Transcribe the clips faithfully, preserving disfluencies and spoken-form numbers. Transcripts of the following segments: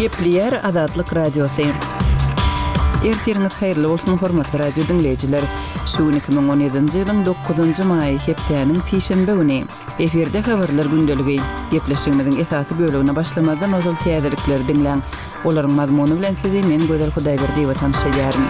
Gepleýär Azatlyk Radiosy. Ertiriňiz haýyrly bolsun, hormatly radio diňleýjiler. Şu gün iki müň on ýedinji ýylyň dokuzynjy maýy, hepdäniň sişenbe güni. Efirde habarlar gündeligi. Gepleşigimiziň esasy bölegine başlamazdan ozal täzelikleri diňläň. Olaryň mazmuny bilen sizi men Gözel Hudaýberdiýewa tanyş edýärin.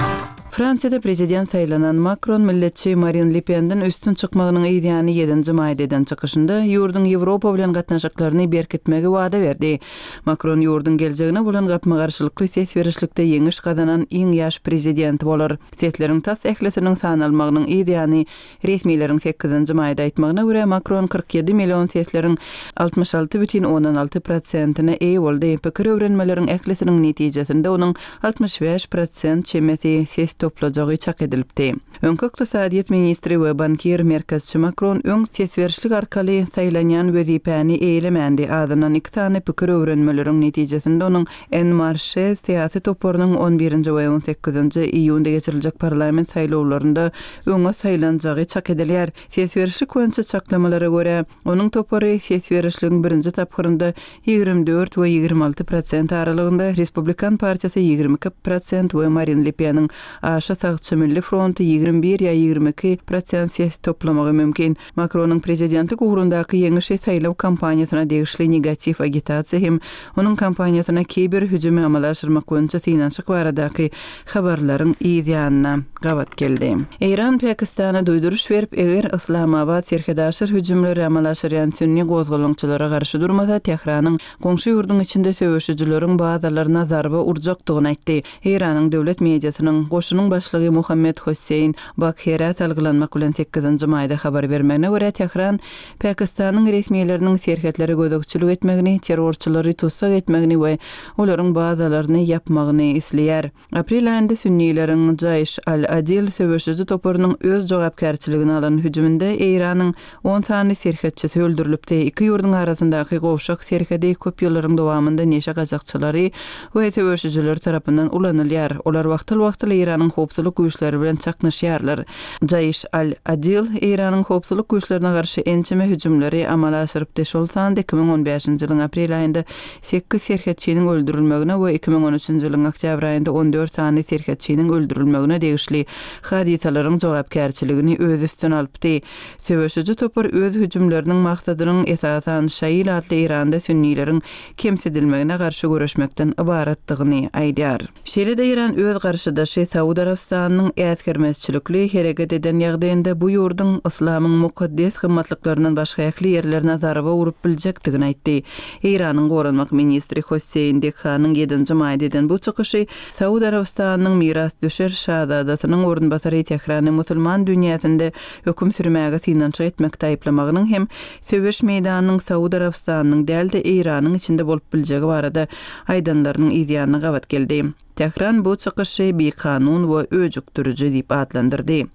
Fransiýada prezident saýlanan Makron milletçi Marine Le Penden üstün çykmagynyň yzýany ýedinji maýda eden çykyşynda ýurduň Ýewropa bilen gatnaşyklaryny berkitmegi wada berdi. Makron ýurduň geljegine bolan gapma-garşylykly ses berişlikde ýeňiş gazanan iň ýaş prezident bolar. Sesleriň tas ählisiniň sanalmagynyň yzýany resmileriň sekizinji maýda aýtmagyna görä Makron kyrk ýedi million sesleriň altmyş alty bütin ondan alty prosentine eýe boldy. Pikir öwrenmeleriň ählisiniň netijesinde onuň altmyş bäş prosent çemesi ses toplajagy çak edilipdi. Öňki ykdysadyýet ministri we bankir merkezçi Makron öň ses berişlik arkaly saýlanýan wezipäni eýlemändi. Azyndan iki sany pikir öwrenmeleriň netijesinde onuň En Marche syýasy toparynyň on birinji we on sekizinji iýunda geçiriljek parlament saýlawlarynda öňe saýlanjagy çak edilýär. Ses berişlik boýunça çaklamalara görä, onuň topary ses berişligiň birinji tapgyrynda ýigrimi dört we ýigrimi alty prosent aralygynda, Respublikan partiýasy ýigrimi iki prosent we Marine Le Peniň aşa sagçy Milli fronty ýigrimi bir ýa ýigrimi iki prosent ses toplamagy mümkin. Makronyň prezidentlik ugrundaky ýeňişi saýlaw kampaniýasyna degişli negatiw agitasiýa hem onuň kampaniýasyna kiber hüjümi amala aşyrmak boýunça synanyşyk baradaky habarlaryň yz ýanyna gabat geldi. Eýran Pakistana duýduryş berip, eger Islamabad serhedaşyr hüjümleri amala aşyrýan sünni gozgalaňçylara garşy durmasa, Tähranyň goňşy ýurduň içinde söweşijileriň bazalaryna zarba urjakdygyny aýtdy. Eýranyň döwlet mediasynyň goşunyň başlygy Muhammed Hossein Bakherä salgylanmak bilen sekizinji maýda habar bermegine görä, Tähran Pakistanyň resmileriniň serhetlere gözegçilik etmegini, terrorçylary tussag etmegini we olaryň bazalaryny ýapmagyny isleýär. Aprel aýynda sünnileriň Jaýş al-Adil söweşiji toparynyň öz jogapkärçiligini alan hüjüminde Eýranyň on sany serhetçisi öldürilipdi. Iki ýurduň arasyndaky gowşak serhedi köp ýyllaryň dowamynda neşe gaçakçylary we söweşijiler tarapyndan ulanylýar. Olar wagtal-wagtal Eýranyň howpsuzlyk güýçleri bilen çaknyşýarlar. Jaýş al-Adil Eýranyň howpsuzlyk güýçlerine garşy ençeme hüjümleri amala aşyrypdy. Şol sanda iki müň on bäşinji ýylyň aprel aýynda sekiz serhetçiniň öldürilmegine we iki müň on üçünji ýylyň oktýabr aýynda on dört sany serhetçiniň öldürilmegine degişli hadysalaryň jogapkärçiligini öz üstüne alypdy. Söweşiji topar öz hüjümleriniň maksadynyň esasan Şail atly Eýranda sünnileriň kemsidilmegine garşy göreşmekden ybaratdygyny aýdýar. Şeýle-de Eýran öz garşydaşy Saud Arabystanynyň äsgermezçilikli hereket eden ýagdaýynda bu ýurduň yslamyň mukaddes gymmatlyklaryndan başga ähli ýerlerine zarba urup biljekdigini aýtdy. Eýranyň goranmak ministri Hossein Dekhanyň ýedinji maýda eden bu çykyşy Saud Arabystanynyň mirasdüşer şazadasynyň orunbasary Tährany musulman dünýäsinde höküm sürmäge synanyşyk etmekde aýyplamagynyň hem söweş meýdanynyň Saud Arabystanynyň däl-de Eýranyň içinde bolup biljegi barada aýdanlarynyň yzýanyna gabat geldi. Tähran bu çykyşy bikanun we öjükdiriji diýip atlandyrdy.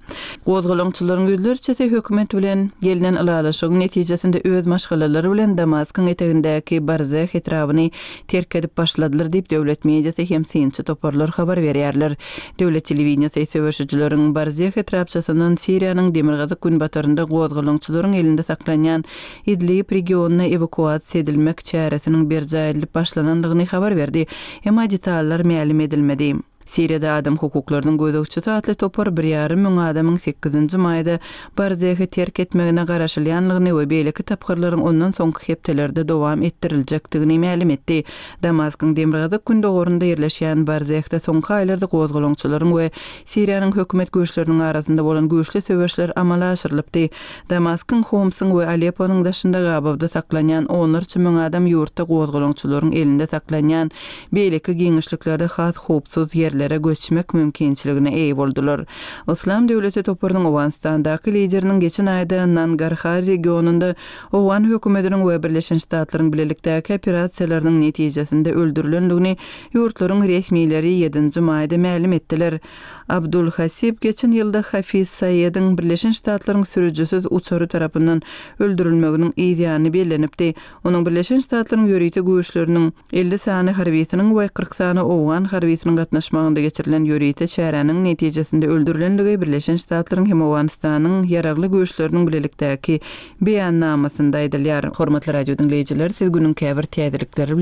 Gozgalaňçylaryň ýüzlerçesi hökümet bilen gelnen ylalaşygyň netijesinde öz maşgalalary bilen Damaskyň etegindäki Barzeh etrabyny terk edip başladylar diýip döwlet mediasy hem synçy toparlar habar berýärler. Döwlet telewideniýasy söweşijileriň Barzeh etrapçasyndan Siriýanyň demirgazyk günbatarynda gozgalaňçylaryň elinde saklanýan Idlib regionyna ewakuasiýa edilmek çäresiniň berjaý edilip başlanandygyny habar berdi. Emma detallar mälim edilmedi. Siriýada adam hukuklarynyň gözegçisi atly topar bir ýarym müň adamyň sekizinji maýda Barzehi terk etmegine garaşylýanlygyny we beýleki tapgyrlaryň ondan soňky hepdelerde dowam etdiriljekdigini mälim etdi. Damaskyň demirgazyk gündogarynda ýerleşýän Barzehde soňky aýlarda gozgalaňçylaryň we Siriýanyň hökümet güýçleriniň arasynda bolan güýçli söweşler amala aşyrylypdy. Damaskyň, Homsyň we Alepponyň daşynda gabawda saklanýan onlarça müň adam ýurtda gozgalaňçylaryň elinde saklanýan beýleki giňişliklerde has howpsuz ýerlere göçmek mümkinçiligine eýe boldular. Islam döwleti toparynyň Owganystandaky lideriniň geçen aýda Nangarhar regionynda Owgan hökümetiniň we Birleşen Ştatlaryň bilelikdäki operasiýalarynyň netijesinde öldürilendigini ýurtlaryň resmileri ýedinji maýda mälim etdiler. Abdul Hasib geçen ýylda Hafiz Saýediň Birleşen Ştatlaryň sürüjisiz uçary tarapyndan öldürilmeginiň yzýany bellenipdi. Onuň Birleşen Ştatlaryň ýörite güýçleriniň elli sany harbiýsiniň we kyrk sany owgan harbiýsiniň gatnaşmagynda geçirilen ýörite çäräniň netijesinde öldürilenligi Birleşen Ştatlaryň hem Owganystanyň ýaragly güýçleriniň bilelikdäki beýannamasynda aýdylýar. Hormatly radio diňleýjiler, siz günüň käbir täzelikleri bilen